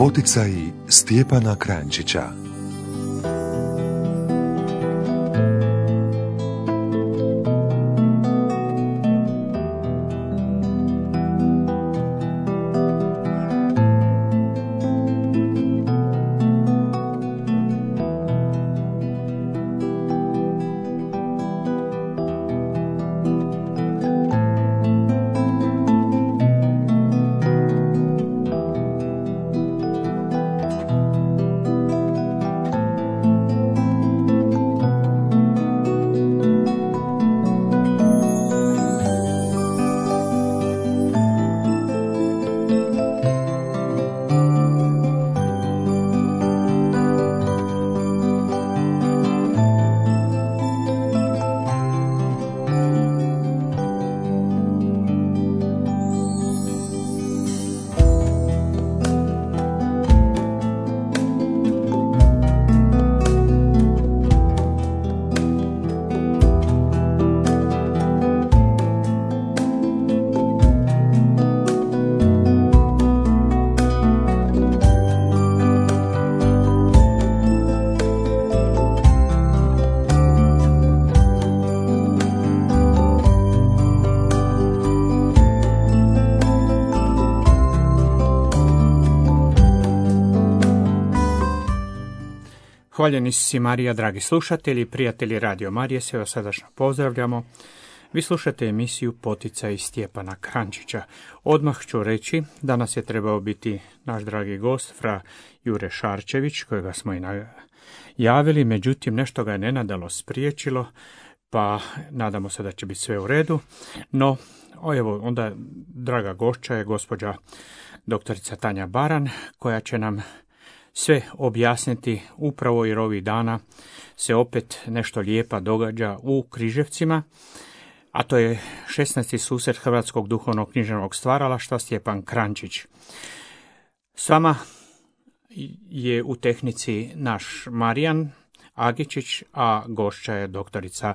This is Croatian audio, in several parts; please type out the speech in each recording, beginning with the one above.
Poticaji Stjepana Kranjčića. Hvaljeni si Marija, dragi slušatelji, prijatelji Radio Marije, sve vas srdačno pozdravljamo. Vi slušate emisiju Poticaji Stjepana Kranjčića. Odmah ću reći, danas je trebao biti naš dragi gost, fra Jure Šarčević, kojega smo i najavili, međutim nešto ga je nenadalo spriječilo, pa nadamo se da će biti sve u redu. No, evo, onda draga gošća je gospođa doktorica Tanja Baran, koja će nam sve objasniti upravo jer ovih dana se opet nešto lijepa događa u Križevcima, a to je 16. susret Hrvatskog duhovnog književnog stvaralaštva Stjepan Kranjčić. S vama je u tehnici naš Marijan Agičić, a gošća je doktorica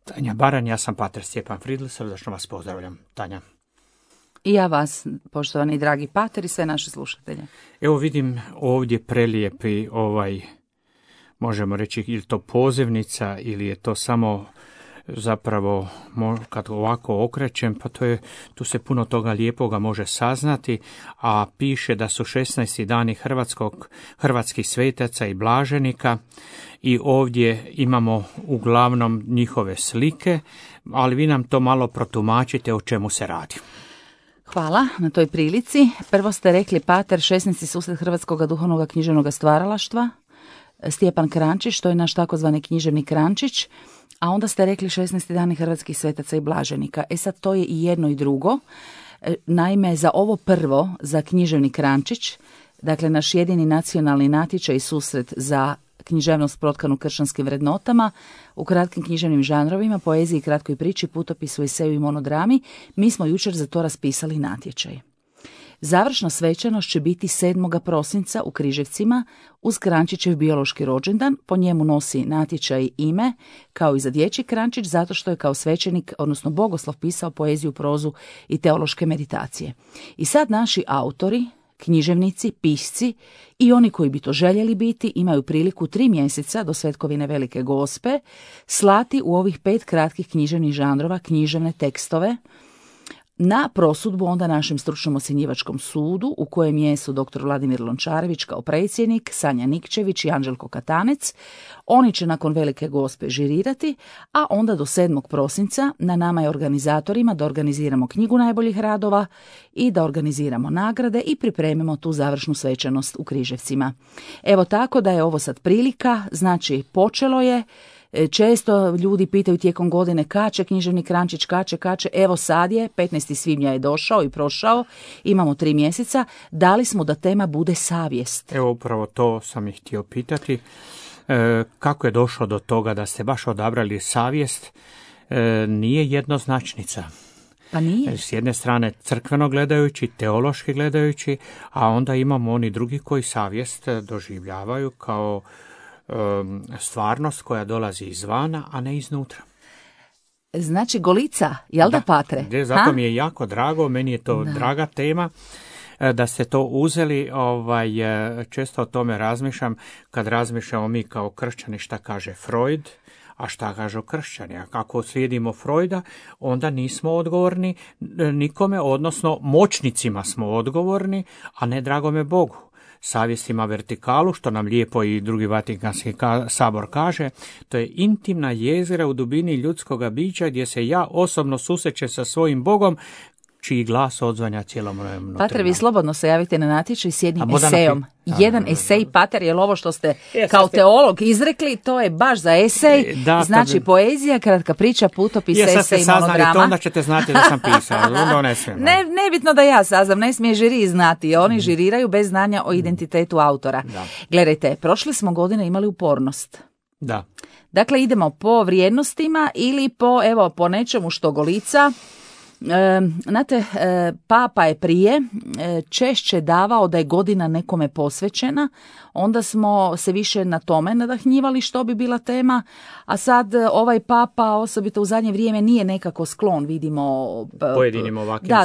Tanja Baran. Ja sam pater Stjepan Fridl, srdačno vas pozdravljam. Tanja. I ja vas, poštovani dragi pater i sve naše slušatelje. Evo vidim ovdje prelijepi možemo reći, ili to pozivnica ili je to samo zapravo, kad ovako okrećem, pa tu se puno toga lijepoga može saznati, a piše da su 16. dani hrvatskih svetaca i blaženika i ovdje imamo uglavnom njihove slike, ali vi nam to malo protumačite o čemu se radi. Hvala na toj prilici. Prvo ste rekli pater 16. susret Hrvatskog duhovnog književnog stvaralaštva, Stjepan Kranjčić, to je naš takozvani književni Kranjčić, a onda ste rekli 16. dani hrvatskih svetaca i blaženika. Sad to je i jedno i drugo. Naime, za ovo prvo, za književni Kranjčić, dakle naš jedini nacionalni natječaj i susret za književnost protkanu kršćanskim vrednotama, u kratkim književnim žanrovima, poeziji, kratkoj priči, putopisu, eseju i monodrami, mi smo jučer za to raspisali natječaj. Završna svečanost će biti 7. prosinca u Križevcima uz Kranjčićev biološki rođendan. Po njemu nosi natječaj ime, kao i za dječji Kranjčić, zato što je kao svećenik, odnosno bogoslov, pisao poeziju, prozu i teološke meditacije. I sad naši autori, književnici, pisci i oni koji bi to željeli biti imaju priliku 3 mjeseca do Svetkovine Velike Gospe slati u ovih 5 kratkih književnih žanrova književne tekstove na prosudbu onda našem stručnom ocjenjivačkom sudu, u kojem jesu dr. Vladimir Lončarević kao predsjednik, Sanja Nikčević i Anđelko Katanec. Oni će nakon Velike Gospe žirirati, a onda do 7. prosinca na nama je organizatorima da organiziramo knjigu najboljih radova i da organiziramo nagrade i pripremimo tu završnu svečanost u Križevcima. Evo tako da je ovo sad prilika, znači počelo je. Često ljudi pitaju tijekom godine kače književni Kranjčić, kače, evo sad je, 15. svibnja je došao i prošao, imamo 3 mjeseca, dali smo da tema bude savjest. Evo upravo to sam ih htio pitati, kako je došlo do toga da ste baš odabrali savjest, nije jednoznačnica. Pa nije. S jedne strane crkveno gledajući, teološki gledajući, a onda imamo oni drugi koji savjest doživljavaju kao stvarnost koja dolazi izvana, a ne iznutra. Znači Golica, jel da patre? Zato mi je jako drago, meni je to draga tema. da ste to uzeli, često o tome razmišljam, kad razmišljamo mi kao kršćani šta kaže Freud, a šta kažu kršćani. Ako slijedimo Freuda, onda nismo odgovorni nikome, odnosno moćnicima smo odgovorni, a ne dragome Bogu. Savjest ima vertikalu, što nam lijepo i Drugi Vatikanski sabor kaže, to je intimna jezgra u dubini ljudskoga bića gdje se ja osobno susrećem sa svojim Bogom, čiji glas odzvanja cijelom mojem. Pater, vi slobodno se javite na natječaj s jednim esejom. Jedan esej, Pater, je ovo što ste kao teolog izrekli, to je baš za esej, znači poezija, kratka priča, putopis, esej, monograma. Saznali to, onda ćete znati da sam pisao. Nebitno da ja saznam, ne smije žiri znati, oni žiriraju bez znanja o identitetu autora. Da. Gledajte, prošle smo godine imali upornost. Da. Dakle, idemo po vrijednostima ili po nečemu što golica. Znate, Papa je prije češće davao da je godina nekome posvećena, onda smo se više na tome nadahnjivali što bi bila tema, a sad ovaj Papa, osobito u zadnje vrijeme, nije nekako sklon, vidimo pojedinim ovakvim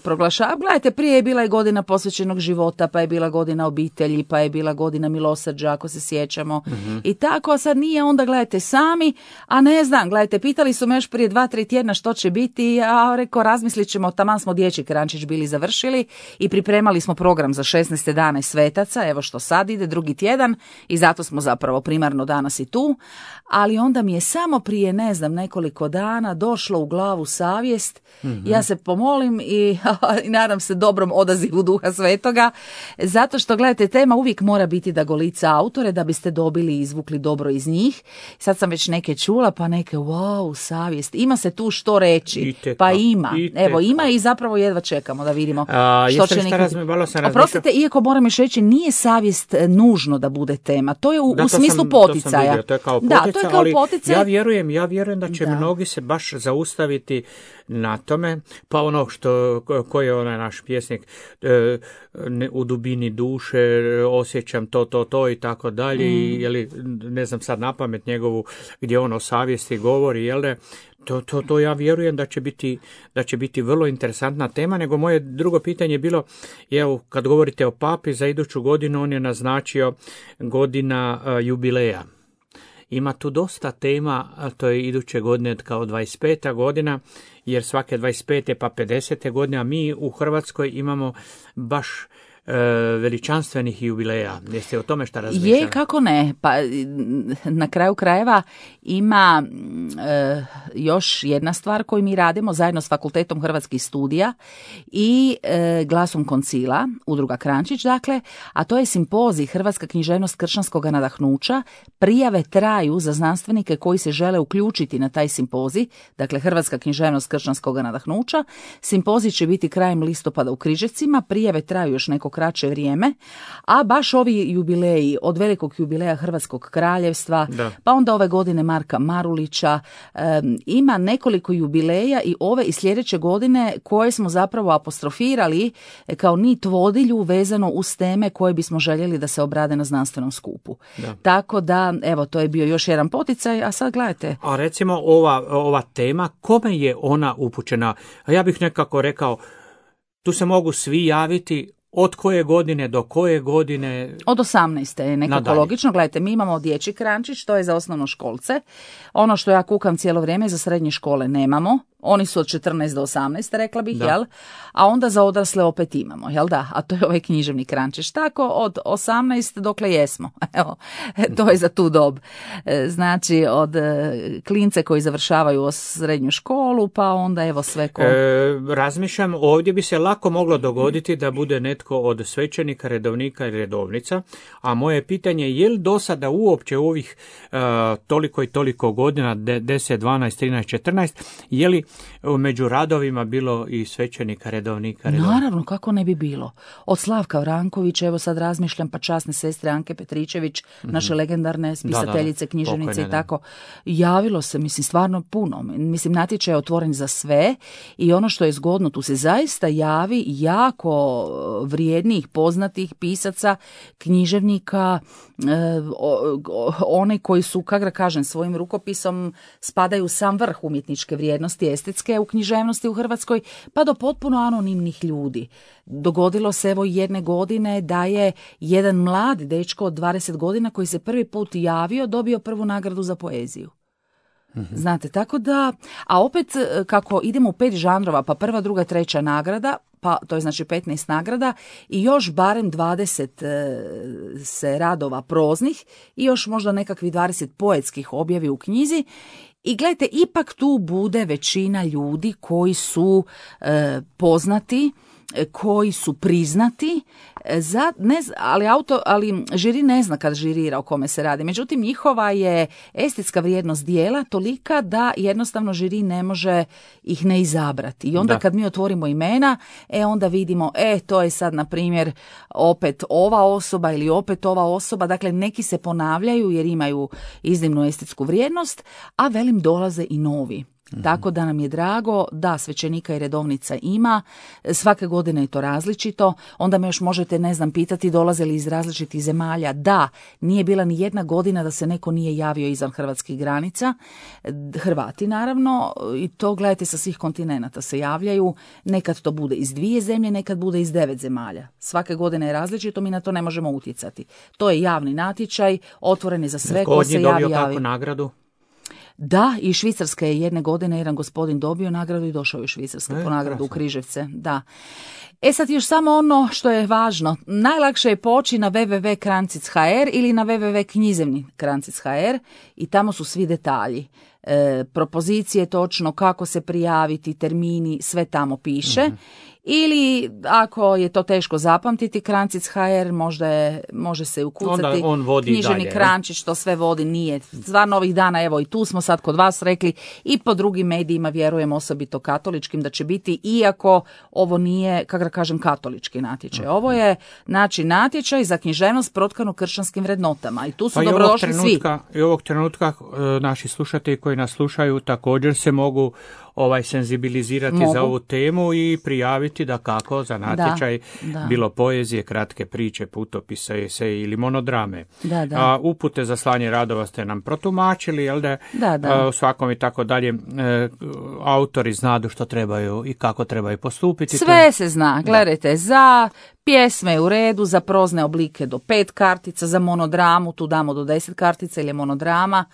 proglašava. Gledajte, prije je bila i godina posvećenog života, pa je bila godina obitelji, pa je bila godina milosrđa, ako se sjećamo. I tako, a sad nije, onda gledajte sami, a ne znam, gledajte, pitali su me još prije 2-3 tjedna što će biti, a rekao, razmislit ćemo, taman smo dječji krančić bili završili i pripremali smo program za 16. dane svetaca, evo što sad ide, drugi tjedan, i zato smo zapravo primarno danas i tu, ali onda mi je samo prije, ne znam, nekoliko dana došlo u glavu savjest, ja se pomolim i nadam se dobrom odazivu Duha Svetoga, zato što, gledajte, tema uvijek mora biti da golica autore, da biste dobili i izvukli dobro iz njih. Sad sam već neke čula, pa neke, wow, savjest, ima se tu što reći, pa ima, evo ima i zapravo jedva čekamo da vidimo što će neki... Oprostite, iako moram još reći, nije savjest nužno da bude tema, to je u smislu poticaja. To je kao poticaj, ali ja vjerujem da će mnogi se baš zaustaviti na tome, pa ono koji je onaj naš pjesnik, u dubini duše osjećam to i tako dalje, ne znam sad napamet njegovu, gdje on o savjesti govori, jel da, to ja vjerujem da će biti vrlo interesantna tema, nego moje drugo pitanje je bilo, evo, kad govorite o papi, za iduću godinu on je naznačio godina jubileja. Ima tu dosta tema, to je iduće godine kao 25. godina, jer svake 25. pa 50. godine, a mi u Hrvatskoj imamo baš veličanstvenih jubileja. Jeste o tome šta razmišljali? Je, kako ne. Pa na kraju krajeva ima još jedna stvar koju mi radimo zajedno s Fakultetom hrvatskih studija i Glasom koncila, udruga Krančić, dakle, a to je simpozij Hrvatska književnost kršćanskog nadahnuća. Prijave traju za znanstvenike koji se žele uključiti na taj simpozij, dakle Hrvatska književnost kršćanskog nadahnuća. Simpozij će biti krajem listopada u Križevcima, prijave traju još neko kraće vrijeme, a baš ovi jubileji, od velikog jubileja Hrvatskog kraljevstva, pa onda ove godine Marka Marulića, ima nekoliko jubileja i ove i sljedeće godine koje smo zapravo apostrofirali kao nit vodilju vezano uz teme koje bismo željeli da se obrade na znanstvenom skupu. Tako da, evo, to je bio još jedan poticaj, a sad gledajte. A recimo ova tema, kome je ona upućena? Ja bih nekako rekao, tu se mogu svi javiti. Od koje godine do koje godine? Od 18. je nekako logično. Gledajte, mi imamo dječji krančić, to je za osnovnoškolce. Ono što ja kukam cijelo vrijeme, za srednje škole nemamo. Oni su od 14 do 18, rekla bih, jel? A onda za odrasle opet imamo, jel da? A to je ovaj književni krančić. Tako od 18 dokle jesmo. Evo, to je za tu dob. Znači, od klince koji završavaju srednju školu, pa onda evo sve ko... Razmišljam, ovdje bi se lako moglo dogoditi da bude netko od svećenika, redovnika i redovnica, a moje pitanje je li do sada uopće u ovih toliko i toliko godina, 10, 12, 13, 14, je li među radovima bilo i svećenika, redovnika? Naravno, kako ne bi bilo. Od Slavka Vrankovića, evo sad razmišljam, pa časne sestre Anke Petričević, naše legendarne spisateljice, književnice i tako. Javilo se, mislim, stvarno puno. Mislim, natječaj je otvoren za sve i ono što je zgodno, tu se zaista javi jako vrijednih, poznatih pisaca, književnika, oni koji su, kako da kažem, svojim rukopisom spadaju u sam vrh umjetničke vrijednosti, estetske u književnosti u Hrvatskoj, pa do potpuno anonimnih ljudi. Dogodilo se evo jedne godine da je jedan mladi dečko od 20 godina koji se prvi put javio, dobio prvu nagradu za poeziju. Znate, tako da, a opet kako idemo u 5 žanrova, pa prva, druga, treća nagrada, pa to je znači 15 nagrada i još barem 20 se radova proznih i još možda nekakvih 20 poetskih objavi u knjizi. I gledajte, ipak tu bude većina ljudi koji su poznati, koji su priznati, ali žiri ne zna kad žirira o kome se radi. Međutim, njihova je estetska vrijednost dijela tolika da jednostavno žiri ne može ih ne izabrati. I onda kad mi otvorimo imena, onda vidimo, to je sad, na primjer, opet ova osoba ili opet ova osoba. Dakle, neki se ponavljaju jer imaju iznimnu estetsku vrijednost, a velim dolaze i novi. Tako da nam je drago da svećenika i redovnica ima, svake godine je to različito, onda me još možete, pitati dolaze li iz različitih zemalja. Da, nije bila ni jedna godina da se neko nije javio izvan hrvatskih granica, Hrvati naravno, i to gledajte sa svih kontinenata se javljaju, nekad to bude iz 2 zemlje, nekad bude iz 9 zemalja. Svake godine je različito, mi na to ne možemo utjecati. To je javni natječaj, otvoren je za sve ko se javi. Dobio kakvu nagradu? Da, i Švicarske je jedne godine jedan gospodin dobio nagradu i došao je u Švicarske po nagradu u Križevce. Da. Sad još samo ono što je važno. Najlakše je poći na www.krancic.hr ili na www.knjizevni.krancic.hr i tamo su svi detalji. Propozicije točno, kako se prijaviti, termini, sve tamo piše. Ili ako je to teško zapamtiti, Krancic.hr može se ukucati. Onda on vodi književni dalje. Krančić, to sve vodi, nije. Stvarno ovih dana, evo i tu smo sad kod vas rekli, i po drugim medijima vjerujem, osobito katoličkim, da će biti, iako ovo nije, kako da kažem, katolički natječaj. Ovo je natječaj za književnost protkanu kršćanskim vrednotama i tu su dobrodošli svi. I ovog trenutka naši slušatelji koji nas slušaju također se mogu senzibilizirati za ovu temu i prijaviti da kako za natječaj, bilo poezije, kratke priče, putopisa, eseje ili monodrame. A upute za slanje radova ste nam protumačili, jel da? U svakom i tako dalje autori znadu što trebaju i kako trebaju postupiti. Sve se zna, gledajte, za pjesme je u redu, za prozne oblike do 5 kartica, za monodramu tu damo do 10 kartica ili je monodrama.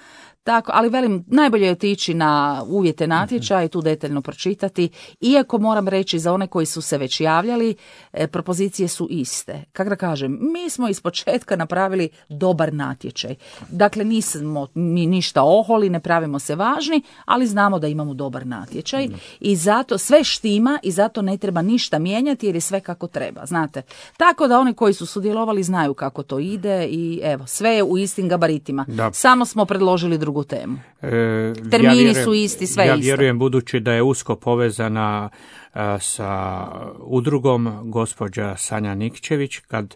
Tako, ali velim, najbolje je otići na uvjete natječaja i tu detaljno pročitati, iako moram reći za one koji su se već javljali, propozicije su iste. Kako da kažem, mi smo iz početka napravili dobar natječaj. Dakle, nismo mi ništa oholi, ne pravimo se važni, ali znamo da imamo dobar natječaj i zato sve štima i zato ne treba ništa mijenjati jer je sve kako treba, znate. Tako da oni koji su sudjelovali znaju kako to ide i evo, sve je u istim gabaritima. Samo smo predložili drugu temu. Termini su isti, sve isto. Ja vjerujem, budući da je usko povezana sa udrugom gospođa Sanja Nikčević, kad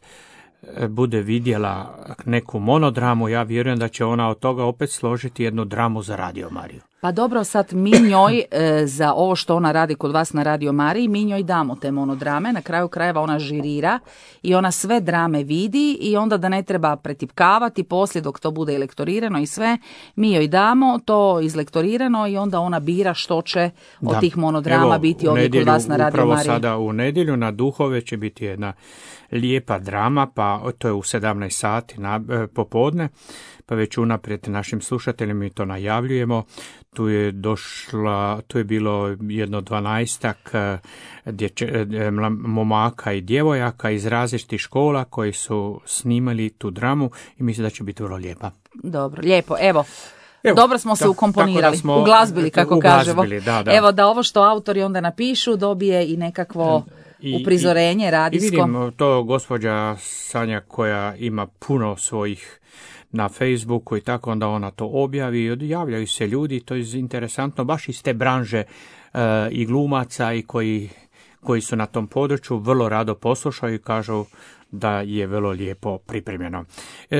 bude vidjela neku monodramu, ja vjerujem da će ona od toga opet složiti jednu dramu za Radio Mariju. Pa dobro, sad mi njoj za ovo što ona radi kod vas na Radio Mariji, mi njoj damo te monodrame, na kraju krajeva ona žirira i ona sve drame vidi i onda da ne treba pretipkavati poslije dok to bude lektorirano i sve, mi joj damo to izlektorirano i onda ona bira što će od tih monodrama biti ovdje kod vas na Radio Mariji. Upravo sada u nedjelju na Duhove će biti jedna lijepa drama, pa to je u 17 sati popodne, pa već unaprijed našim slušateljima mi to najavljujemo. Tu je bilo jedno 12 momaka i djevojaka iz različitih škola koji su snimali tu dramu i mislim da će biti vrlo lijepa. Dobro, lijepo, evo. Dobro smo se ukomponirali, uglazbili kako kažemo. Da. Evo da ovo što autori onda napišu dobije i nekakvo uprizorenje radijsko. I vidim to gospođa Sanja koja ima puno svojih na Facebooku i tako, onda ona to objavi i javljaju se ljudi, to je interesantno, baš iz te branže i glumaca i koji su na tom području vrlo rado poslušaju i kažu da je vrlo lijepo pripremljeno.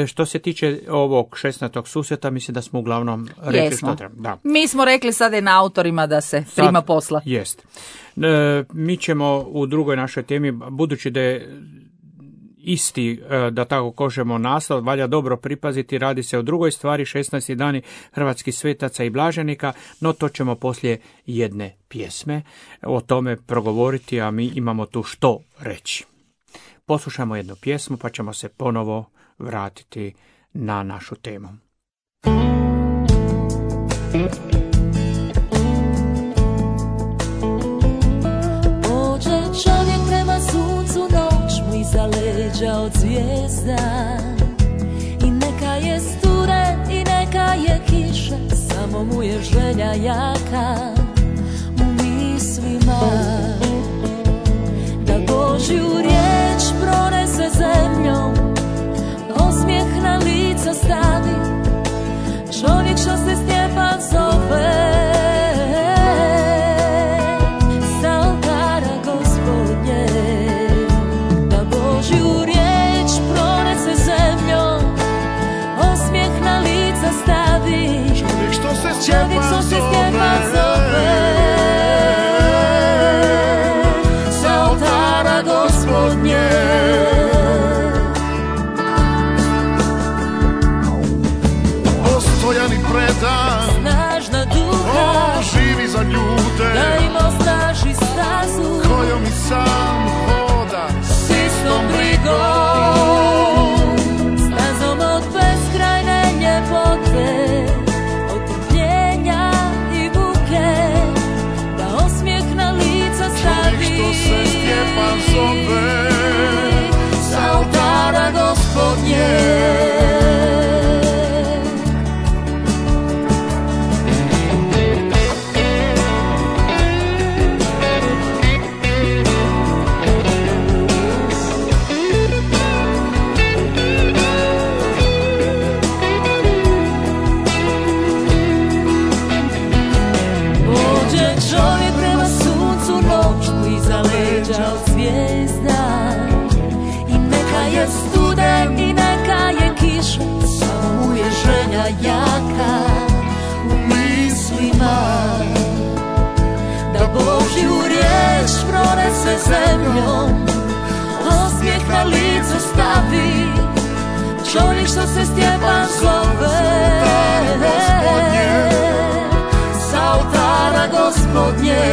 Što se tiče ovog 16. susreta, mislim da smo uglavnom rekli što treba. Da. Mi smo rekli sada je na autorima da se prima posla. Jest. Mi ćemo u drugoj našoj temi, budući da je isti, da tako kažemo, naslov, valja dobro pripaziti, radi se o drugoj stvari, 16. dani hrvatskih svetaca i blaženika, no to ćemo poslije jedne pjesme o tome progovoriti, a mi imamo tu što reći. Poslušajmo jednu pjesmu pa ćemo se ponovo vratiti na našu temu. Pođe čovjek prema suncu, noć mu iza leđa od zvijezda. I neka je sturen i neka je kiša, samo mu je želja jaka u mislima. Da Božju riječ pronese zemljom, osmijeh na lica stavi, čovjek što se Stjepan zove, sa oltara Gospodnje. Da Božju riječ pronese zemljom, osmijeh na lica stavi, čovjek što se Stjepan zove, sa oltara Gospodnje. Postojan i predan, Snažna duha, on živi za ljude, da im osnaži stazu, kojom i sam hoda, s istom brigom, stazom od beskrajne ljepote, od trpljenja i buke, da osmijeh na lica stavi, čovjek što se Stjepan zove, sa oltara Gospodnje. Jaka u mislima, da Božju riječ pronese zemljom, osmijeh na lice stavi, čovjek što se Stjepan zove, sa oltara Gospodnje.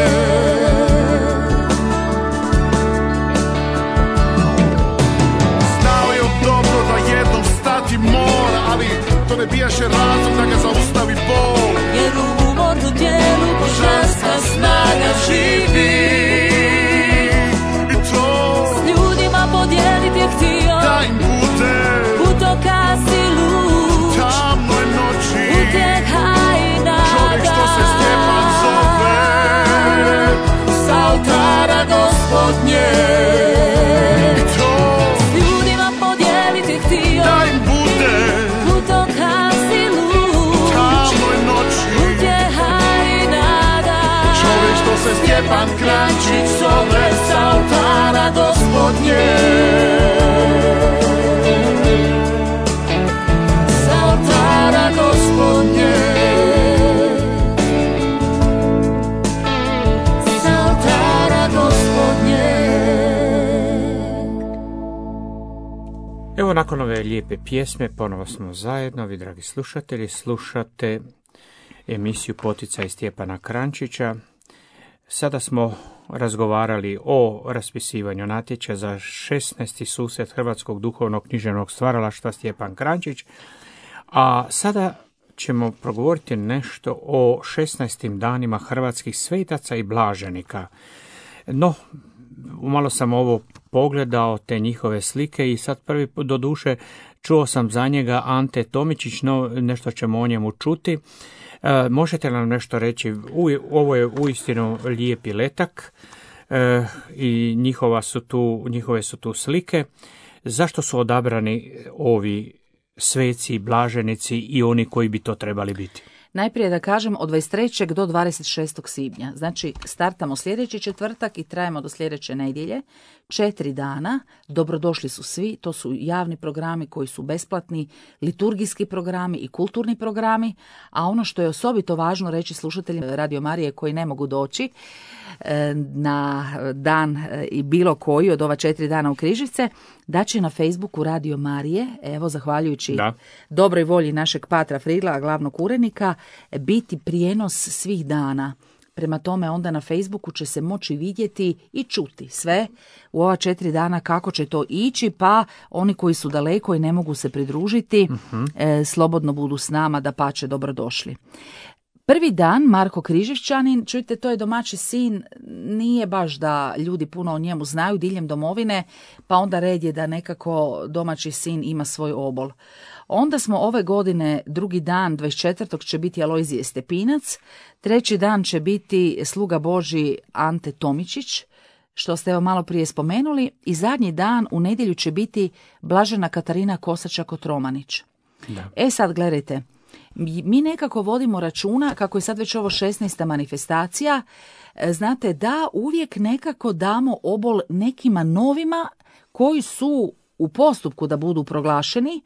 znao je dobro da jednom stati mora, ali to ne bijaše razlog da ga zaustavi bol. Jer u umornu tijelu božanska snaga živi, I to s ljudima podijeliti je htio, da im bude putokaz i luk, tamnoj noći, utjeha i nada, čovjek što se Stjepan zove, sa oltara Gospodnje. I to S ljudima podijeliti htio, da im bude putokaz i luk, tamnoj noći, utjeha i nada, čovjek što se Stjepan Kranjčić zove, sa oltara Gospodnje. sa oltara Gospodnje. Sa oltara Gospodnje. Evo, nakon ove lijepe pjesme ponovo smo zajedno, vi dragi slušatelji, slušate emisiju Poticaj Stjepana Kranjčića. Sada smo razgovarali o raspisivanju natječaja za 16. susret Hrvatskog duhovnog književnog stvaralaštva Stjepan Kranjčić, a sada ćemo progovoriti nešto o 16. danima hrvatskih svetaca i blaženika. No, malo sam ovo pogledao, te njihove slike, i sad prvi put, doduše, čuo sam za njega Ante Tomičić, no nešto ćemo o njemu čuti. Možete nam nešto reći? Ovo je uistinu lijepi letak i njihove su tu slike. Zašto su odabrani ovi sveci, blaženici i oni koji bi to trebali biti? Najprije da kažem od 23. do 26. svibnja. Znači startamo sljedeći četvrtak i trajemo do sljedeće nedjelje. 4 dana, dobrodošli su svi, to su javni programi koji su besplatni, liturgijski programi i kulturni programi, a ono što je osobito važno reći slušateljima Radio Marije koji ne mogu doći na dan i bilo koji od ova 4 dana u Križevce, da će na Facebooku Radio Marije, evo zahvaljujući dobroj volji našeg Patra Fridla, glavnog urednika, biti prijenos svih dana. Prema tome onda na Facebooku će se moći vidjeti i čuti sve u ova 4 dana kako će to ići, pa oni koji su daleko i ne mogu se pridružiti, slobodno budu s nama, dapače dobrodošli. Prvi dan, Marko Križevčanin, čujte, to je domaći sin, nije baš da ljudi puno o njemu znaju diljem domovine, pa onda red je da nekako domaći sin ima svoj obol. Onda smo ove godine, drugi dan, 24. će biti Alojzije Stepinac, treći dan će biti sluga Božji Ante Tomičić, što ste evo malo prije spomenuli, i zadnji dan u nedjelju će biti Blažena Katarina Kosača-Kotromanić. Da. Sad gledajte, mi nekako vodimo računa, kako je sad već ovo 16. manifestacija, znate da uvijek nekako damo obol nekima novima koji su u postupku da budu proglašeni.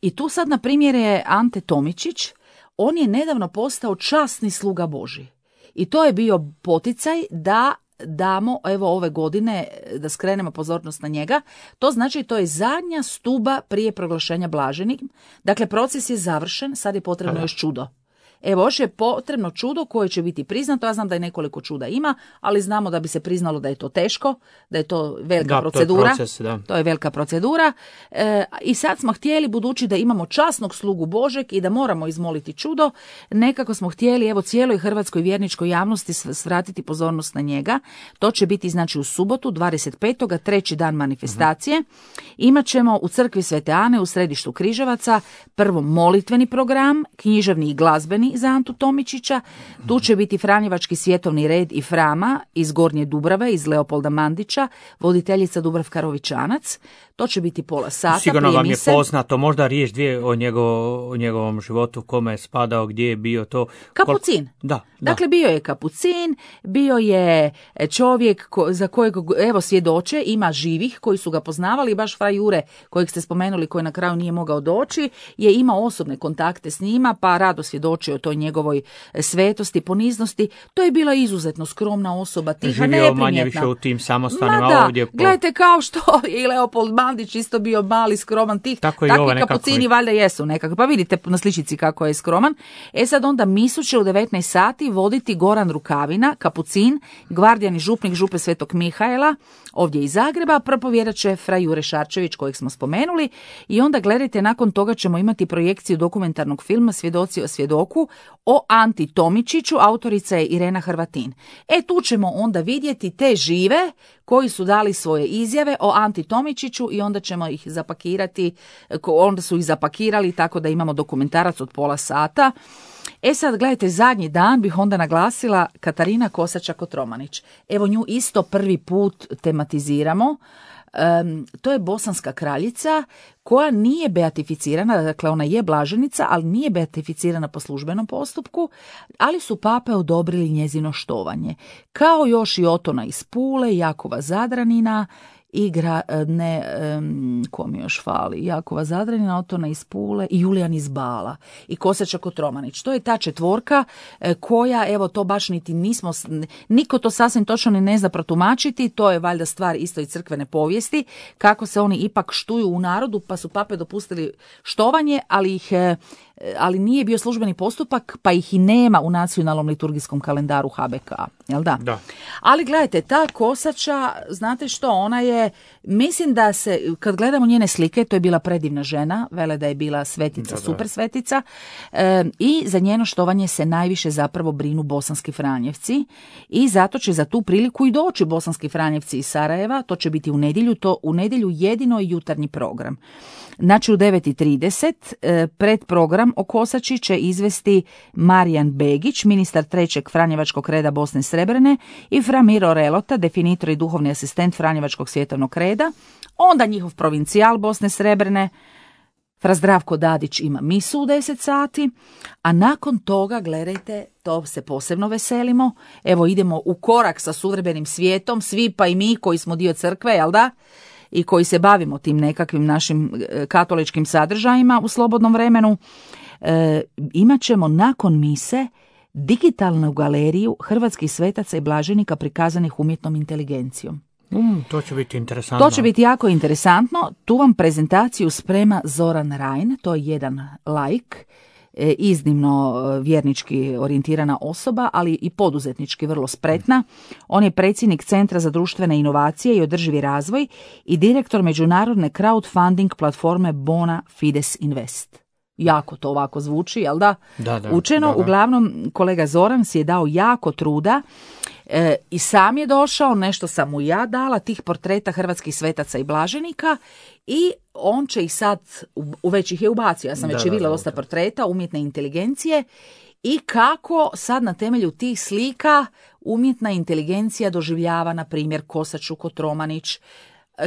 I tu sad na primjer je Ante Tomičić, on je nedavno postao časni sluga Božji. I to je bio poticaj da damo, evo ove godine, da skrenemo pozornost na njega. To znači to je zadnja stuba prije proglašenja blaženih. Dakle, proces je završen, sad je potrebno još čudo. Evo, još je potrebno čudo koje će biti priznato. Ja znam da je nekoliko čuda ima, ali znamo da bi se priznalo da je to teško, da je to velika procedura. To je proces, da. To je velika procedura. I sad smo htjeli, budući da imamo časnog slugu Božeg i da moramo izmoliti čudo, nekako smo htjeli, evo, cijeloj hrvatskoj vjerničkoj javnosti svratiti pozornost na njega. To će biti, znači, u subotu, 25. treći dan manifestacije. Imat ćemo u crkvi Svete Ane u središtu Križevaca prvo molitveni program, književni i glazbeni za Antu Tomičića. Tu će biti Franjevački svjetovni red i Frama iz Gornje Dubrave, iz Leopolda Mandića, voditeljica Dubravka Rovičanac. To će biti pola sata. Sigurno vam je poznato, možda riječ dvije o njegovom životu, kome je spadao, gdje je bio to. Kapucin. Da. Dakle, bio je kapucin, bio je čovjek za kojeg, evo, svjedoče, ima živih koji su ga poznavali, baš fra Jure, kojeg ste spomenuli, koji na kraju nije mogao doći, je imao osobne kontakte s njima, pa rado svjedoči o toj njegovoj svetosti, poniznosti. To je bila izuzetno skromna osoba, tiha, neprimjetna. Živio manje više u tim samostanima ovdje. Gledajte, kao što je i Leopold Mandić isto bio mali, skroman, tih. Takvi kapucini valjda jesu nekako. Pa vidite na sličici kako je skroman. Sad onda misu će u 19 sati voditi Goran Rukavina, kapucin, gvardijani župnik župe Svetog Mihaela, ovdje iz Zagreba. Propovjedat će fra Jure Šarčević, kojeg smo spomenuli. I onda gledajte, nakon toga ćemo imati projekciju dokumentarnog filma Svjedoci o svjedoku o Anti Tomičiću, autorica je Irena Hrvatin. Tu ćemo onda vidjeti te žive koji su dali svoje izjave o Anti Tomičiću i onda ćemo ih zapakirati, onda su ih zapakirali tako da imamo dokumentarac od pola sata. Sad gledajte, zadnji dan bih onda naglasila Katarina Kosača-Kotromanić. Evo, nju isto prvi put tematiziramo. To je bosanska kraljica koja nije beatificirana, dakle ona je blaženica, ali nije beatificirana po službenom postupku, ali su pape odobrili njezino štovanje. Kao još i Otona iz Pule, Jakova Zadranina, ko mi još fali, Jakova Zadranina, Otona iz Pule i Julijan iz Bala i Kosača-Kotromanić. To je ta četvorka koja, evo, to baš niti nismo, niko to sasvim točno ni ne zna protumačiti, to je valjda stvar isto i crkvene povijesti, kako se oni ipak štuju u narodu, pa su pape dopustili štovanje, ali nije bio službeni postupak, pa ih i nema u nacionalnom liturgijskom kalendaru HBK, jel da? Da. Ali gledajte, ta Kosača, znate što, ona je, mislim da se, kad gledamo njene slike, to je bila predivna žena, vele da je bila svetica, super svetica, i za njeno štovanje se najviše zapravo brinu bosanski Franjevci i zato će za tu priliku i doći bosanski Franjevci iz Sarajeva, to će biti u nedjelju, to u nedjelju jedino jutarnji program. Znači u 9:30 pred program o Kosači će izvesti Marijan Begić, ministar 3. Franjevačkog reda Bosne i Srebrene, i fra Miro Relota, definitor i duhovni asistent Franjevačkog svjetovnog reda, onda njihov provincijal Bosne i Srebrene, Fra Zdravko Dadić ima misu u 10 sati, a nakon toga, gledajte, to se posebno veselimo, evo idemo u korak sa suvremenim svijetom, svi pa i mi koji smo dio crkve, jel da? I koji se bavimo tim nekakvim našim katoličkim sadržajima u slobodnom vremenu, imat ćemo nakon mise digitalnu galeriju hrvatskih svetaca i blaženika prikazanih umjetnom inteligencijom. To će biti interesantno. To će biti jako interesantno. Tu vam prezentaciju sprema Zoran Rajn, to je jedan laik, iznimno vjernički orijentirana osoba, ali i poduzetnički vrlo spretna. On je predsjednik Centra za društvene inovacije i održivi razvoj i direktor međunarodne crowdfunding platforme Bona Fides Invest. Jako to ovako zvuči, jel da? Da, učeno. da. Uglavnom, kolega Zoran si je dao jako truda i sam je došao, nešto sam mu ja dala, tih portreta hrvatskih svetaca i blaženika, i on će ih sad, već ih je ubacio, ja sam već vidjela dosta portreta umjetne inteligencije, i kako sad na temelju tih slika umjetna inteligencija doživljava, na primjer, Kosaču Kotromanić,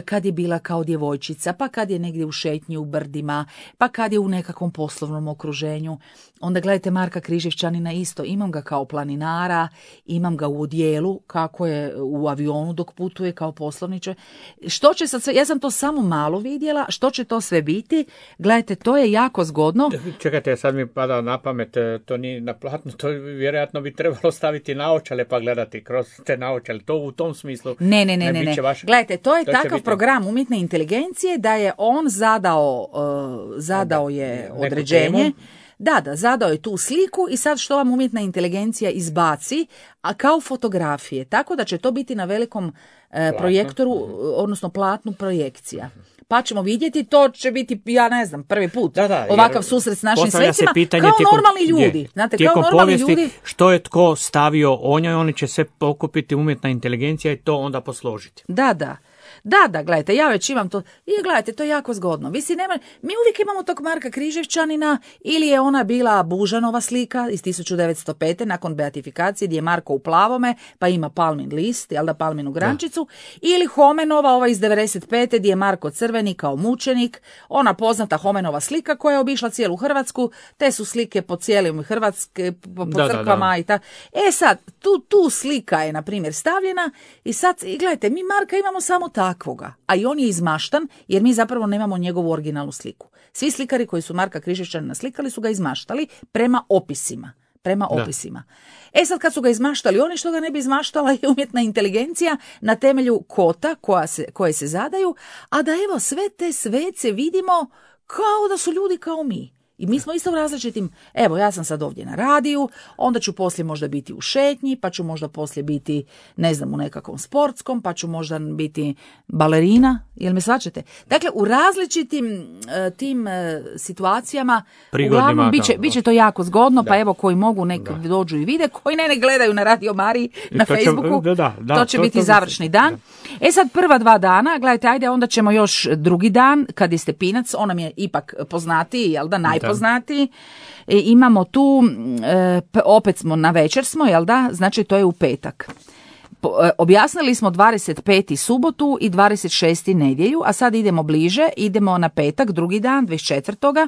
kad je bila kao djevojčica, pa kad je negdje u šetnji u brdima, pa kad je u nekakvom poslovnom okruženju. Onda gledajte Marka Križevčanina isto, imam ga kao planinara, imam ga u odijelu, kako je u avionu dok putuje kao poslovniče. Što će sad sve, ja sam to samo malo vidjela, što će to sve biti, gledajte, to je jako zgodno. Čekajte, sad mi pada na pamet, to nije na platno, to vjerojatno bi trebalo staviti naočale pa gledati kroz te naočale, to u tom smislu. Ne. Gledajte, to je takav program umjetne inteligencije da je on zadao je određenje. Da, zadao je tu sliku i sad što vam umjetna inteligencija izbaci, a kao fotografije. Tako da će to biti na velikom projektoru, odnosno platnu projekcija. Pa ćemo vidjeti, to će biti, ja ne znam, prvi put ovakav susret s našim svecima, kao normalni ljudi. Znate, tijekom kao normalni povijesti, ljudi. što je tko stavio o njoj, oni će se pokupiti umjetna inteligencija i to onda posložiti. Da, gledajte, ja već imam to. I gledajte, to je jako zgodno. Mi uvijek imamo tog Marka Križevčanina, ili je ona bila Bužanova slika iz 1905. nakon beatifikacije, gdje je Marko u plavome, pa ima palmin list, jel da, palminu grančicu, ili Homenova, ova iz 95. gdje je Marko crveni kao mučenik, ona poznata Homenova slika koja je obišla cijelu Hrvatsku, te su slike po cijelim Hrvatske, po crkvama i tako. Sad, tu slika je, na primjer, stavljena i sad, gledajte, mi Marka imamo samo takvoga, a i on je izmaštan jer mi zapravo nemamo njegovu originalnu sliku. Svi slikari koji su Marka Križevčanina slikali su ga izmaštali prema opisima. Sad kad su ga izmaštali, oni što ga ne bi izmaštala je umjetna inteligencija na temelju kota koje se zadaju, a da evo sve te svece vidimo kao da su ljudi kao mi. I mi smo isto u različitim, evo ja sam sad ovdje na radiju, onda ću poslije možda biti u šetnji, pa ću možda poslije biti, ne znam, u nekakvom sportskom, pa ću možda biti balerina, jel me shvaćate? Dakle, u različitim tim situacijama, uglavnom, bit će to jako zgodno, pa evo koji mogu dođu i vide, koji ne gledaju na Radio Mariji, na Facebooku, to će biti završni dan. Sad prva 2 dana, gledajte, ajde, onda ćemo još drugi dan, kad je Stepinac, on nam je ipak poznatiji, jel da, najpoznatiji. Imamo tu, opet smo na večer smo, jel da, znači to je u petak. Objasnili smo 25. subotu i 26. nedjelju, a sad idemo bliže, idemo na petak, drugi dan, 24.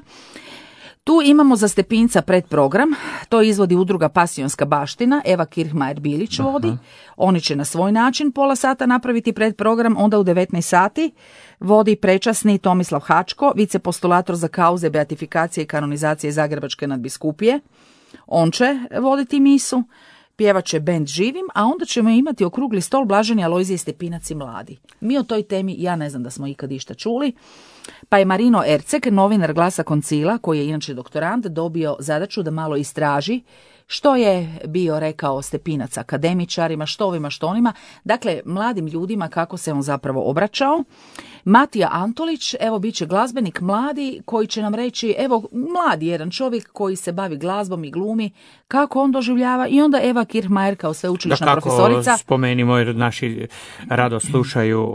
Tu imamo za Stepinca predprogram, to izvodi udruga Pasionska baština, Eva Kirchmajer-Bilić vodi, oni će na svoj način pola sata napraviti predprogram, onda u 19 sati vodi prečasni Tomislav Hačko, vicepostulator za kauze beatifikacije i kanonizacije Zagrebačke nadbiskupije, on će voditi misu, pjevat će bend Živim, a onda ćemo imati okrugli stol Blaženi Alojzije Stepinac i mladi. Mi o toj temi, ja ne znam da smo ikad išta čuli, pa je Marino Erceg, novinar Glasa Koncila, koji je inače doktorant, dobio zadaću da malo istraži što je bio rekao Stepinac akademičarima, što ovima, što onima, dakle mladim ljudima kako se on zapravo obraćao. Matija Antolić, evo bit će glazbenik mladi koji će nam reći, evo mladi jedan čovjek koji se bavi glazbom i glumi, kako on doživljava, i onda Eva Kirchmajer kao sveučilišna profesorica. Da, spomenimo jer naši rado slušaju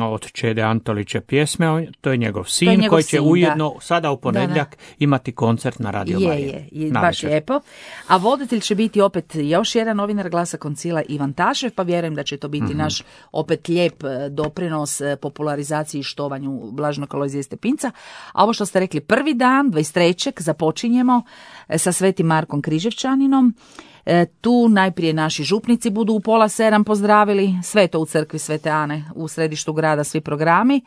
od Čede Antolića pjesme, to je njegov sin koji će ujedno sada u ponedjeljak imati koncert na Radio Mariji. Baš lijepo. A voditelj će biti opet još jedan novinar Glasa Koncila, Ivan Tašev, pa vjerujem da će to biti naš opet lijep doprinos popularizaciji i štovanju Blaženog Alojzija Stepinca. A ovo što ste rekli, prvi dan, 23. započinjemo sa Svetim Markom Križevčaninom. Tu najprije naši župnici budu u 6:30 pozdravili, sve to u crkvi Svete Ane u središtu grada, svi programi.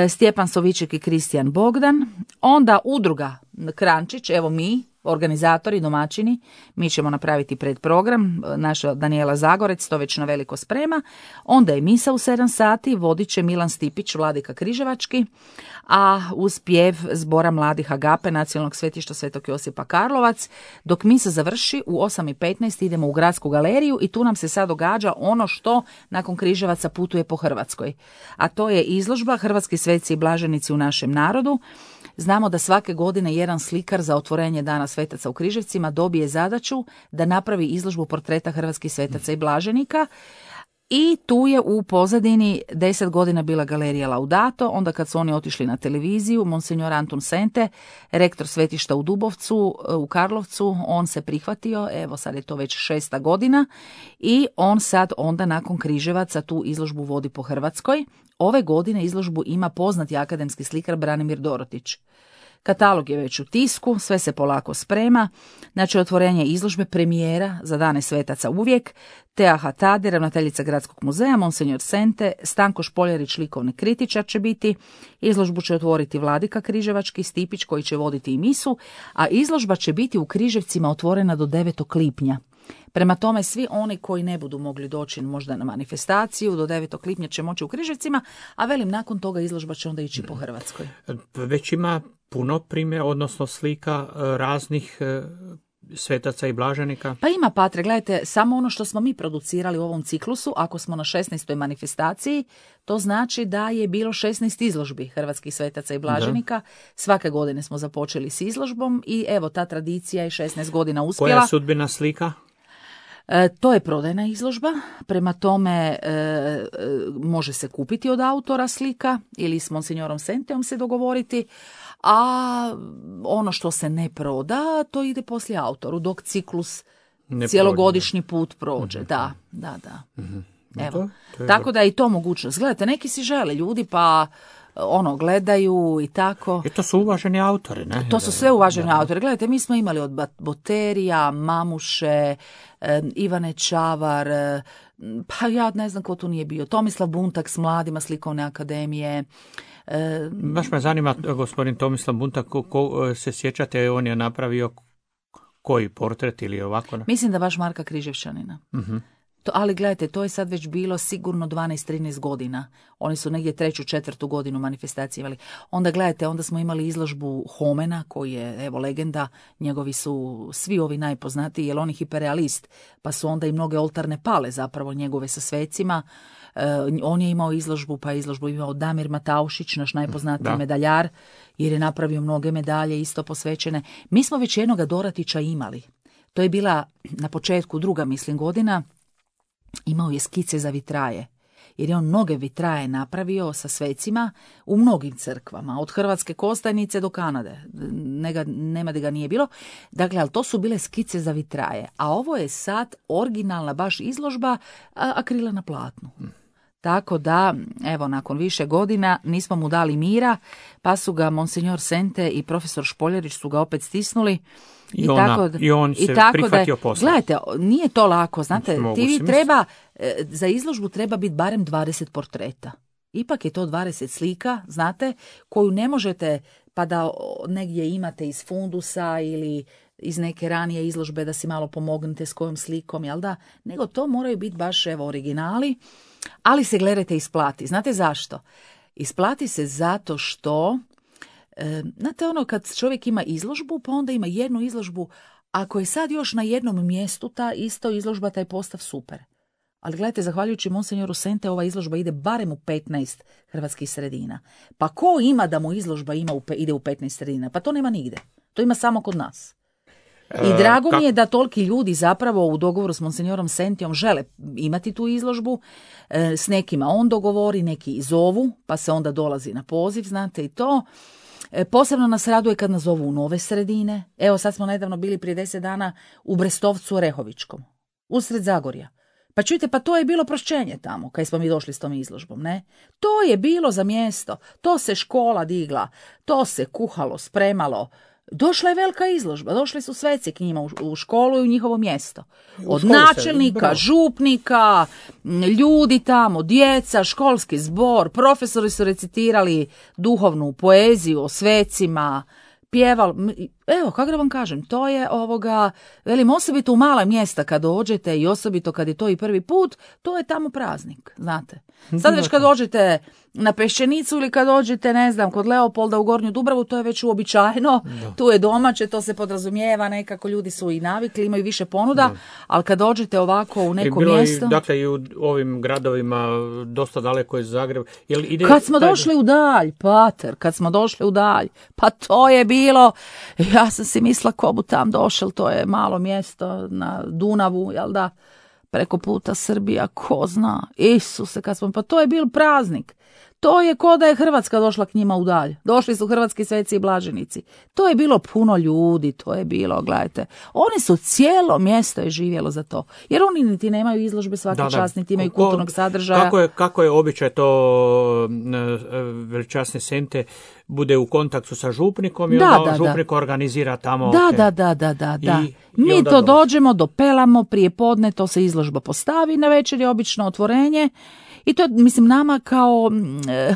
Stjepan Soviček i Kristijan Bogdan. Onda udruga Krančić, evo mi, organizatori, domaćini, mi ćemo napraviti predprogram, naša Danijela Zagorec to već na veliko sprema. Onda je misa u 7 sati, vodit će Milan Stipić, vladika Križevački, a uz pjev Zbora mladih Agape Nacionalnog svetišta Svetog Josipa Karlovac. Dok misa završi u 8:15 idemo u Gradsku galeriju i tu nam se sad događa ono što nakon Križevaca putuje po Hrvatskoj. A to je izložba Hrvatski sveci i blaženici u našem narodu. Znamo da svake godine jedan slikar za otvorenje Dana svetaca u Križevcima dobije zadaću da napravi izložbu portreta hrvatskih svetaca i blaženika. I tu je u pozadini 10 godina bila galerija Laudato, onda kad su oni otišli na televiziju, monsignor Antun Sente, rektor svetišta u Dubovcu, u Karlovcu, on se prihvatio, evo sad je to već 6. godina i on sad onda nakon Križevaca tu izložbu vodi po Hrvatskoj. Ove godine izložbu ima poznati akademski slikar Branimir Dorotić. Katalog je već u tisku, sve se polako sprema, znači otvorenje izložbe, premijera za Dane svetaca uvijek, Tea Hatade, ravnateljica Gradskog muzeja, monsignor Sente, Stanko Špoljarić, likovni kritičar će biti, izložbu će otvoriti vladika Križevački, Stipić koji će voditi i misu, a izložba će biti u Križevcima otvorena do 9. lipnja. Prema tome, svi oni koji ne budu mogli doći možda na manifestaciju, do 9. lipnja će moći u Križevcima, a velim, nakon toga izložba će onda ići po Hrvatskoj. Već ima puno primjera, odnosno slika raznih svetaca i blaženika? Pa ima, Patre, gledajte, samo ono što smo mi producirali u ovom ciklusu, ako smo na 16. manifestaciji, to znači da je bilo 16 izložbi hrvatskih svetaca i blaženika. Da. Svake godine smo započeli s izložbom i evo, ta tradicija je 16 godina uspjela. Koja je sudbina slika? To je prodajna izložba, prema tome može se kupiti od autora slika ili s monsignorom Senteom se dogovoriti, a ono što se ne proda, to ide poslije autoru, dok ciklus cijelogodišnji put prođe. Da. Evo. Tako da je i to mogućnost. Gledajte, neki si žele ljudi pa gledaju i tako. I to su uvaženi autori, ne? To su sve uvaženi autori. Gledajte, mi smo imali od Boterija, Mamuše, Ivane Čavar, pa ja ne znam ko tu nije bio, Tomislav Buntak s mladima Slikovne akademije. Baš me zanima, gospodin Tomislav Buntak, ko se sjećate, on je napravio koji portret ili ovako? Mislim da baš Marka Križevčanina. Ali gledajte, to je sad već bilo sigurno 12-13 godina. Oni su negdje 3. 4. godinu manifestacije imali. Onda gledajte, onda smo imali izložbu Homena, koji je, evo, legenda. Njegovi su svi ovi najpoznatiji, jer on je hiperrealist, pa su onda i mnoge oltarne pale zapravo njegove sa svecima. On je imao izložbu, pa je izložbu imao Damir Mataušić, naš najpoznatiji medaljar, jer je napravio mnoge medalje isto posvećene. Mi smo već jednoga Doratića imali. To je bila na početku 2. godina. Imao je skice za vitraje, jer je on mnoge vitraje napravio sa svecima u mnogim crkvama, od Hrvatske Kostajnice do Kanade, nema da ga nije bilo. Dakle, ali to su bile skice za vitraje, a ovo je sad originalna baš izložba akrila na platnu. Tako da, evo, nakon više godina nismo mu dali mira, pa su ga monsignor Sente i profesor Špoljarić su ga opet stisnuli. I on se prihvatio posla. Gledajte, nije to lako, znate, za izložbu treba biti barem 20 portreta. Ipak je to 20 slika, znate, koju ne možete pa da negdje imate iz fundusa ili iz neke ranije izložbe da si malo pomognete s kojom slikom, jel da? Nego to moraju biti baš, evo, originali, ali se, gledajte, isplati. Znate zašto? Isplati se zato što znate, kad čovjek ima izložbu, pa onda ima jednu izložbu, ako je sad još na jednom mjestu ta isto izložba, taj postav super. Ali gledajte, zahvaljujući monsignoru Sente, ova izložba ide barem u 15 hrvatskih sredina. Pa ko ima da mu izložba ide u 15 sredina? Pa to nema nigde. To ima samo kod nas. I drago mi je da toliki ljudi zapravo u dogovoru s monsignorom Sentijom žele imati tu izložbu. S nekima on dogovori, neki zovu, pa se onda dolazi na poziv, znate, i to. Posebno nas raduje kad nas zovu u nove sredine. Evo sad smo nedavno bili prije 10 dana u Brestovcu Rehovičkom, usred Zagorja. Pa čujte, pa to je bilo prošćenje tamo, kad smo mi došli s tom izložbom, ne? To je bilo za mjesto, to se škola digla, to se kuhalo, spremalo. Došla je velika izložba, došli su sveci k njima u školu i u njihovo mjesto. Od načelnika, župnika, ljudi tamo, djeca, školski zbor, profesori su recitirali duhovnu poeziju o svecima, pjevali. Evo, kako da vam kažem, to je velim, osobito u mala mjesta kad dođete i osobito kad je to i prvi put, to je tamo praznik, znate. Sad već kad dođete na Peščenicu ili kad dođete, ne znam, kod Leopolda u Gornju Dubravu, to je već uobičajeno, tu je domaće, to se podrazumijeva, nekako ljudi su i navikli, imaju više ponuda, ali kad dođete ovako u neko mjesto... Dakle, i u ovim gradovima dosta daleko iz Zagreba. Kad smo došli u Dalj, pater, pa to je bilo... Ja sam si mislila ko bu tam došel, to je malo mjesto na Dunavu, jel da, preko puta Srbija, ko zna, Isuse, pa to je bil praznik. To je ko da je Hrvatska došla k njima u Dalj. Došli su hrvatski sveci i blaženici. To je bilo puno ljudi, to je bilo, gledajte. Oni su cijelo mjesto je živjelo za to. Jer oni niti nemaju izložbe svaki čas, niti imaju kulturnog sadržaja. Kako je običaj to veličasne sente bude u kontaktu sa župnikom i onda župnik organizira tamo. Da. Mi to dođemo, dopelamo, prije podne to se izložba postavi, na večer je obično otvorenje. I to, mislim, nama kao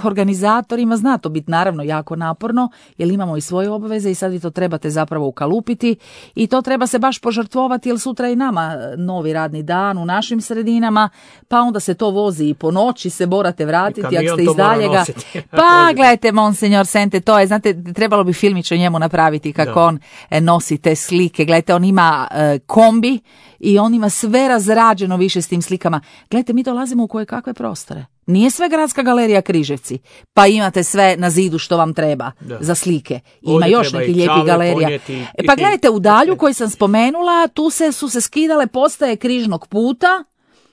organizatorima zna to biti naravno jako naporno, jer imamo i svoje obveze i sad vi to trebate zapravo ukalupiti i to treba se baš požrtvovati, jer sutra i nama novi radni dan u našim sredinama, pa onda se to vozi i po noći, se morate vratiti ako ste iz daljega. Pa gledajte, Monsignor Sente, to je, znate, trebalo bi filmić o njemu napraviti kako on nosi te slike. Gledajte, on ima kombi i on ima sve razrađeno više s tim slikama. Gledajte, mi dolazimo u koje kakve prostore. Nije sve Gradska galerija Križevci, pa imate sve na zidu što vam treba za slike. Ima ovdje još neki lijepi galerija. Pa gledajte, u Dalju koji sam spomenula, tu su se skidale postaje križnog puta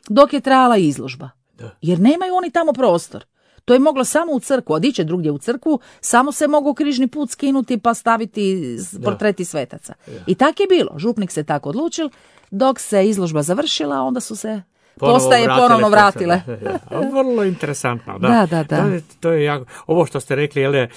dok je trajala izložba. Jer nemaju oni tamo prostor. To je moglo samo u crkvu, a di će drugdje u crkvu, samo se mogu križni put skinuti pa staviti portreti svetaca. I tak je bilo, župnik se tako odlučil, dok se izložba završila, onda su se postaje ponovno vratile. Vrlo interesantno. Da. To je jako. Ovo što ste rekli,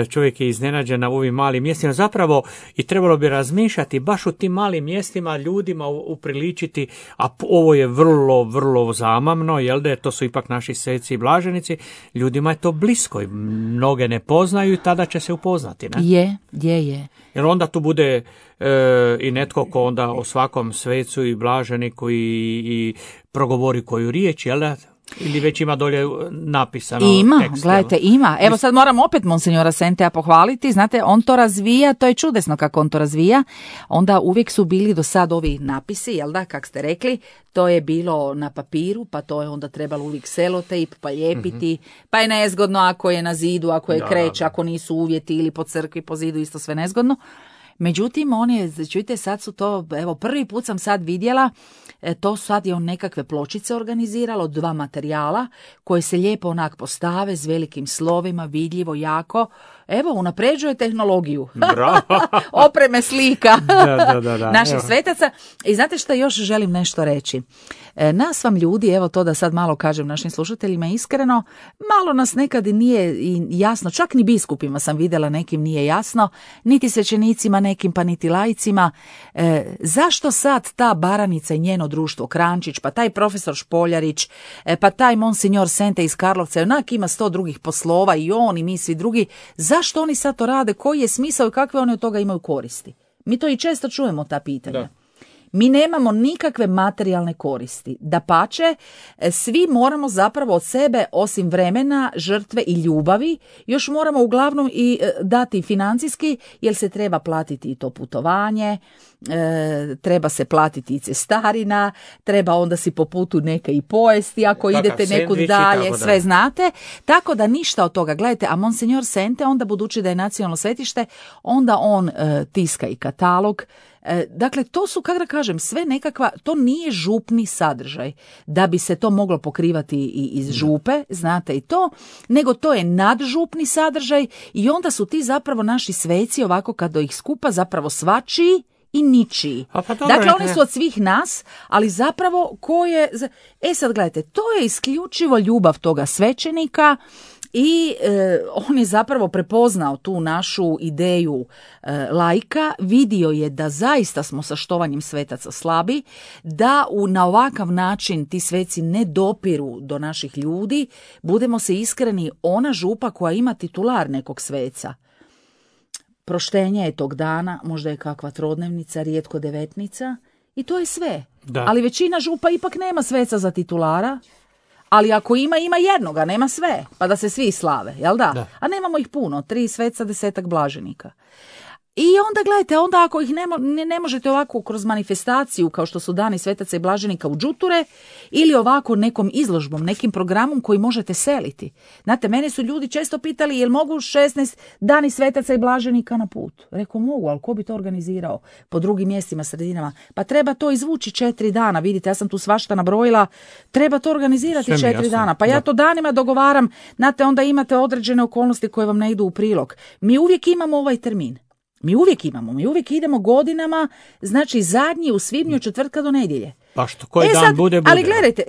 čovjek je iznenađen na ovim malim mjestima. Zapravo i trebalo bi razmišljati baš u tim malim mjestima ljudima upriličiti, a ovo je vrlo, vrlo zamamno, to su ipak naši sveci i blaženici. Ljudima je to blisko i mnoge ne poznaju i tada će se upoznati. Ne? Je. Jer onda tu bude i netko ko onda o svakom svecu i blaženiku i progovori koju riječ, jel da? Ili već ima dolje napisano tekst? Gledajte, ima. Evo sad moram opet Monsignora Sentea pohvaliti. Znate, on to razvija, to je čudesno kako on to razvija. Onda uvijek su bili do sad ovi napisi, jel da, kak ste rekli, to je bilo na papiru, pa to je onda trebalo uvijek selotejp, pa lijepiti, pa je nezgodno ako je na zidu, ako je kreć, ako nisu uvjeti ili po crkvi, po zidu, isto sve nezgodno. Međutim, čujte, sad su to, evo, prvi put sam sad vidjela, to sad je on nekakve pločice organiziralo, 2 materijala koje se lijepo onak postave s velikim slovima, vidljivo, jako. Evo, unapređuje tehnologiju. Opreme slika naših svetaca. I znate što još želim nešto reći? Nas vam ljudi, evo to da sad malo kažem našim slušateljima iskreno, malo nas nekad nije jasno, čak ni biskupima sam vidjela nekim nije jasno, niti svećenicima nekim pa niti laicima, zašto sad ta Baranica i njeno društvo Krančić, pa taj profesor Špoljarić, pa taj Monsignor Sente iz Karlovca, onak ima 100 drugih poslova i on i mi svi drugi, zašto oni sad to rade, koji je smisao i kakve oni od toga imaju koristi? Mi to i često čujemo ta pitanja. Mi nemamo nikakve materijalne koristi. Dapače, svi moramo zapravo od sebe, osim vremena, žrtve i ljubavi, još moramo uglavnom i dati financijski, jer se treba platiti i to putovanje, treba se platiti i cestarina, treba onda si po putu neka i pojesti ako idete nekud dalje, sve znate. Tako da ništa od toga. Gledajte, a Monsignor Sente, onda budući da je nacionalno svetište, onda on tiska i katalog, Dakle, to su, kako da kažem, sve nekakva, to nije župni sadržaj, da bi se to moglo pokrivati i iz župe, znate i to, nego to je nadžupni sadržaj i onda su ti zapravo naši sveci, ovako kad do ih skupa, zapravo svačiji i ničiji. Dakle, oni su od svih nas, ali zapravo ko je... sad gledajte, to je isključivo ljubav toga svećenika i on je zapravo prepoznao tu našu ideju laika, vidio je da zaista smo sa štovanjem svetaca slabi, da na ovakav način ti sveci ne dopiru do naših ljudi, budemo se iskreni, ona župa koja ima titular nekog sveca, proštenje je tog dana, možda je kakva trodnevnica, rijetko devetnica i to je sve. Da. Ali većina župa ipak nema sveca za titulara, ali ako ima jednoga, nema sve, pa da se svi slave, jel da? A nemamo ih puno, 3 sveca, 10 blaženika. I onda gledajte, onda ako ih ne možete ovako kroz manifestaciju kao što su dani svetaca i blaženika u džuture ili ovako nekom izložbom, nekim programom koji možete seliti. Znate, mene su ljudi često pitali jel mogu 16 dani svetaca i blaženika na put. Rekao mogu, ali ko bi to organizirao po drugim mjestima, sredinama? Pa treba to izvući 4 dana, vidite, ja sam tu svašta nabrojila, treba to organizirati 4 dana. Pa ja to danima dogovaram, znate, onda imate određene okolnosti koje vam ne idu u prilog. Mi uvijek imamo ovaj termin. Mi uvijek idemo godinama, znači zadnji u svibnju od četvrtka do nedjelje. Pa što koji dan bude. Ali gledajte,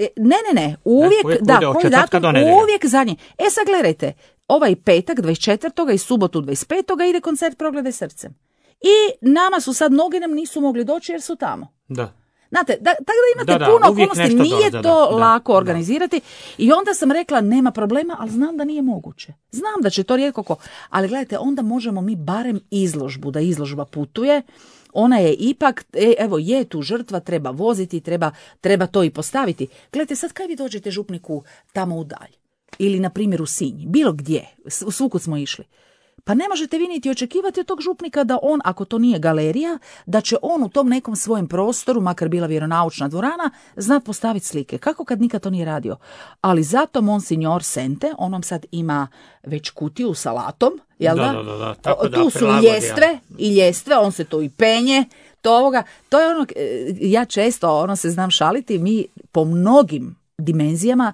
ne, uvijek koji datum, uvijek zadnji. Sad gledajte, ovaj petak 24. i subotu 25. ide koncert Progledaj srcem. I nama su sad, mnogi nam nisu mogli doći jer su tamo. Da. Znate, tako da imate puno okolnosti, nije to lako organizirati. I onda sam rekla, nema problema, ali znam da nije moguće. Znam da će to rijetko ko. Ali gledajte, onda možemo mi barem izložbu, da izložba putuje. Ona je ipak, evo je tu žrtva, treba voziti, treba to i postaviti. Gledajte, sad kaj vi dođete župniku tamo u dalj? Ili, na primjer, u Sinj, bilo gdje, svukud smo išli. Pa ne možete vi niti očekivati od tog župnika da on, ako to nije galerija, da će on u tom nekom svojem prostoru, makar bila vjeronaučna dvorana, znat postaviti slike. Kako kad nikad to nije radio? Ali zato Monsignor Sente, on vam sad ima već kutiju sa latom, jel da? Tu su i ljestve, on se to i penje, to je ono, ja često se znam šaliti, mi po mnogim dimenzijama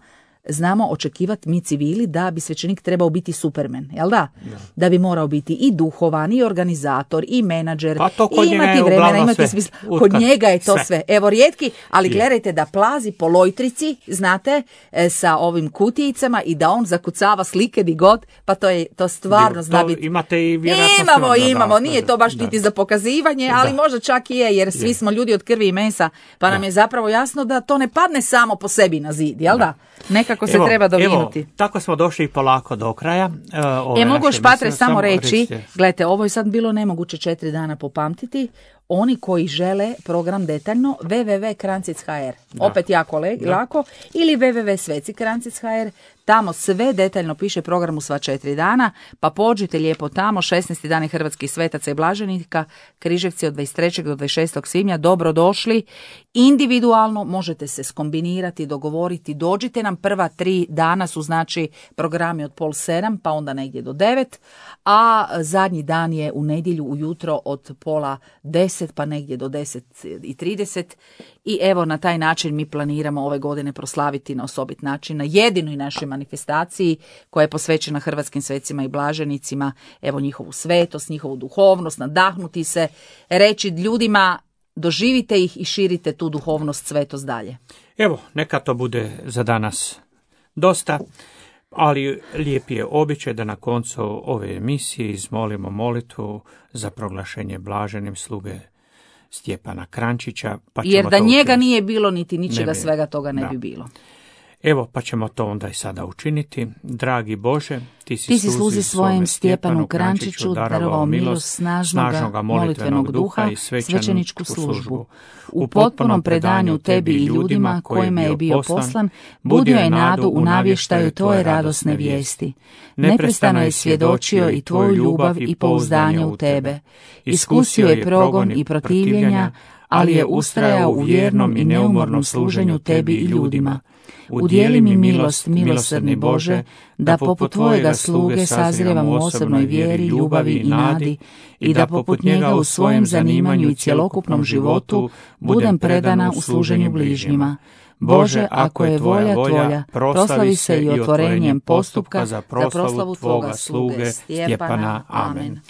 znamo očekivati mi civili da bi svećenik trebao biti Superman, jel da? Da bi morao biti i duhovan, i organizator, i menadžer, i imati vremena, imati smisla. Kod njega je to sve. Evo rijetki, ali gledajte da plazi po lojtrici, znate, sa ovim kutijicama i da on zakucava slike di god, pa to stvarno zna biti. Imate i vjerojatno imamo, nije to baš niti za pokazivanje, ali možda čak i je, jer svi smo ljudi od krvi i mesa, pa nam je zapravo jasno da to ne padne samo po sebi na zid, jel da? Nekako se treba dovinuti. Evo, tako smo došli polako do kraja. Mogu još Patre samo reći, gledajte, ovo je sad bilo nemoguće 4 dana popamtiti. Oni koji žele program detaljno, www.krancic.hr, opet jako lako, ili www.sveci.krancic.hr, tamo sve detaljno piše program u sva 4 dana, pa pođite lijepo tamo, 16. dani hrvatskih svetaca i blaženika, Križevci od 23. do 26. svibnja, dobro došli, individualno možete se skombinirati, dogovoriti, dođite nam, prva 3 dana su znači programi od 6:30, pa onda negdje do 9, a zadnji dan je u nedjelju ujutro od 9:30 pa negdje do 10:30 i evo na taj način mi planiramo ove godine proslaviti na osobit način, na jedinoj našoj manifestaciji koja je posvećena hrvatskim svecima i blaženicima, evo njihovu svetost, njihovu duhovnost, nadahnuti se, reći ljudima doživite ih i širite tu duhovnost, svetost dalje. Evo, neka to bude za danas dosta. Ali lijep je običaj da na koncu ove emisije izmolimo molitvu za proglašenje blaženim sluge Stjepana Krančića. Pa jer da njega nije bilo niti ničega svega toga ne bi bilo. Evo, pa ćemo to onda i sada učiniti. Dragi Bože, ti si sluzi svojem Stjepanu Krančiću darovao milost snažnoga molitvenog duha i svećeničku službu. U potpunom predanju tebi i ljudima kojima je bio poslan, budio je nadu u navještaju tvoje radosne vijesti. Neprestano je svjedočio i tvoju ljubav i pouzdanje u tebe. Iskusio je progon i protivljenja, ali je ustrajao u vjernom i neumornom služenju tebi i ljudima. Udijeli mi milost, milosrdni Bože, da poput tvojega sluge sazrijevam u osobnoj vjeri, ljubavi i nadi i da poput njega u svojem zanimanju i cjelokupnom životu budem predana u služenju bližnjima. Bože, ako je volja tvoja, proslavi se i otvorenjem postupka za proslavu tvoga sluge Stjepana. Amen.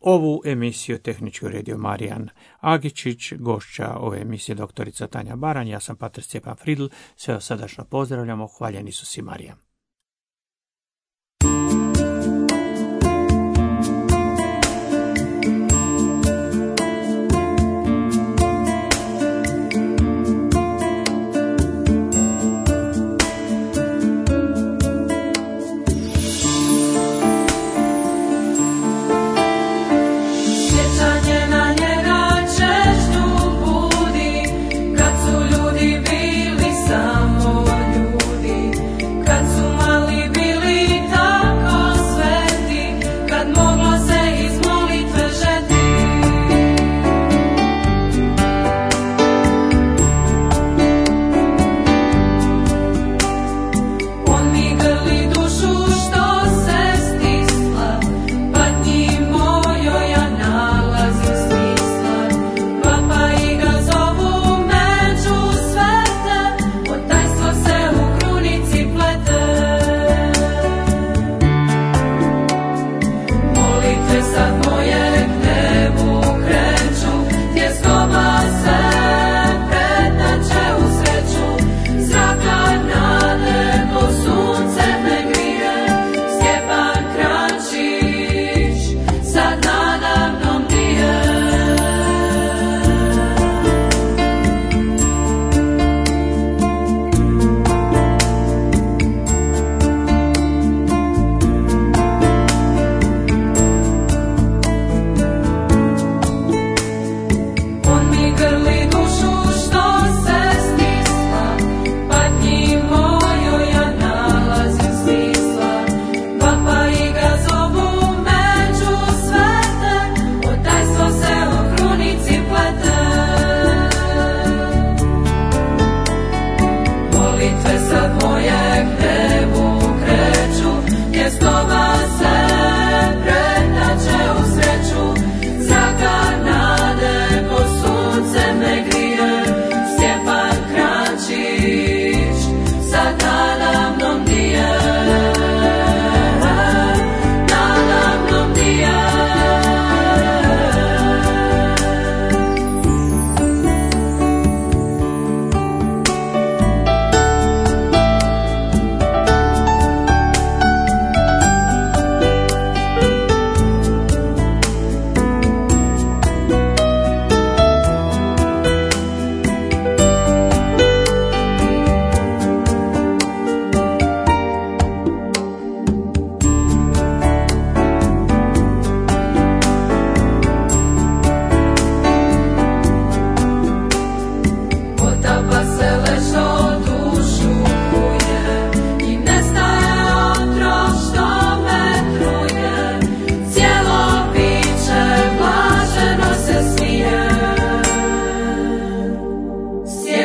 Ovu emisiju tehnički uredio Marijan Agičić, gošća ove emisije doktorica Tanja Baranj, ja sam pater Stjepan Fridl, sve vas srdačno pozdravljamo, hvaljen Isus i Marija.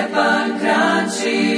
Stjepan Kranjčić.